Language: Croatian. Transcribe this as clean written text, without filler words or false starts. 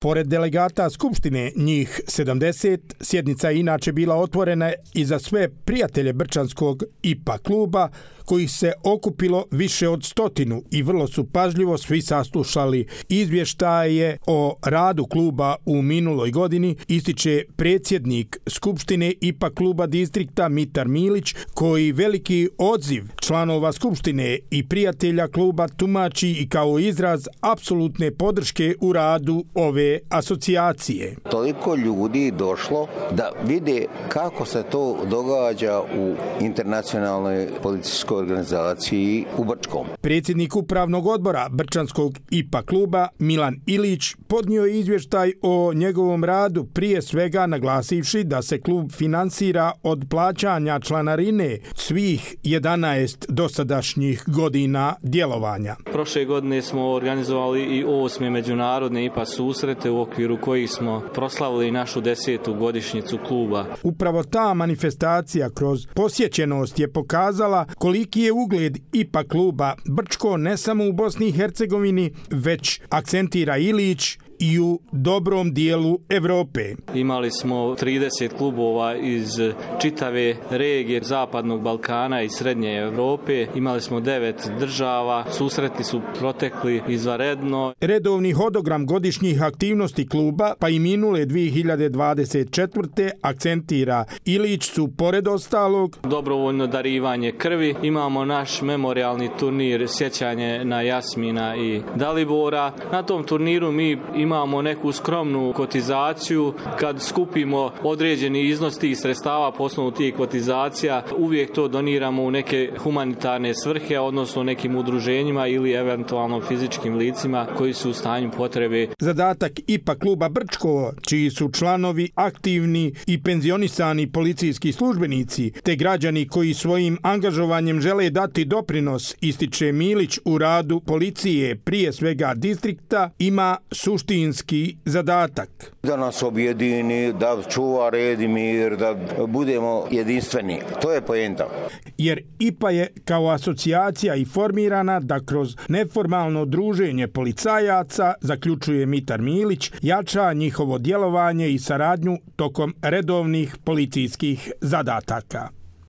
Pored delegata Skupštine, njih 70, sjednica je inače bila otvorena i za sve prijatelje Brčanskog IPA kluba, kojih se okupilo više od 100 i vrlo su pažljivo svi saslušali izvještaje o radu kluba u minuloj godini, ističe predsjednik Skupštine IPA kluba distrikta Mitar Milić, koji veliki odziv članova Skupštine i prijatelja kluba tumači i kao izraz apsolutne podrške u radu ove asocijacije. Toliko ljudi došlo da vide kako se to događa u internacionalnoj policijskoj organizaciji u Brčkom. Predsjednik upravnog odbora Brčanskog IPA kluba Milan Ilić podnio je izvještaj o njegovom radu, prije svega naglasivši da se klub finansira od plaćanja članarine svih 11 dosadašnjih godina djelovanja. Prošle godine smo organizovali i 8. međunarodne IPA susrete u okviru kojih smo proslavili našu 10. godišnjicu kluba. Upravo ta manifestacija kroz posjećenost je pokazala koliki je ugled IPA kluba Brčko ne samo u Bosni i Hercegovini, već akcentira Ilić i u dobrom dijelu Evrope. Imali smo 30 klubova iz čitave regije Zapadnog Balkana i Srednje Evrope. Imali smo 9 država. Susreti su protekli izvanredno. Redovni hodogram godišnjih aktivnosti kluba, pa i minule 2024. akcentira Ilić su, pored ostalog, dobrovoljno darivanje krvi. Imamo naš memorijalni turnir sjećanje na Jasmina i Dalibora. Na tom turniru mi imamo neku skromnu kotizaciju. Kad skupimo određeni iznos tih sredstava po osnovu tih kotizacija, uvijek to doniramo u neke humanitarne svrhe, odnosno nekim udruženjima ili eventualno fizičkim licima koji su u stanju potrebe. Zadatak IPA kluba Brčko, čiji su članovi aktivni i penzionisani policijski službenici, te građani koji svojim angažovanjem žele dati doprinos, ističe Milić, u radu policije, prije svega distrikta, ima suštinski zadatak. Da nas objedini, da čuva red i mir, da budemo jedinstveni. To je poenta. Jer IPA je kao asocijacija i formirana da kroz neformalno druženje policajaca, zaključuje Mitar Milić, jača njihovo djelovanje i saradnju tokom redovnih policijskih zadataka.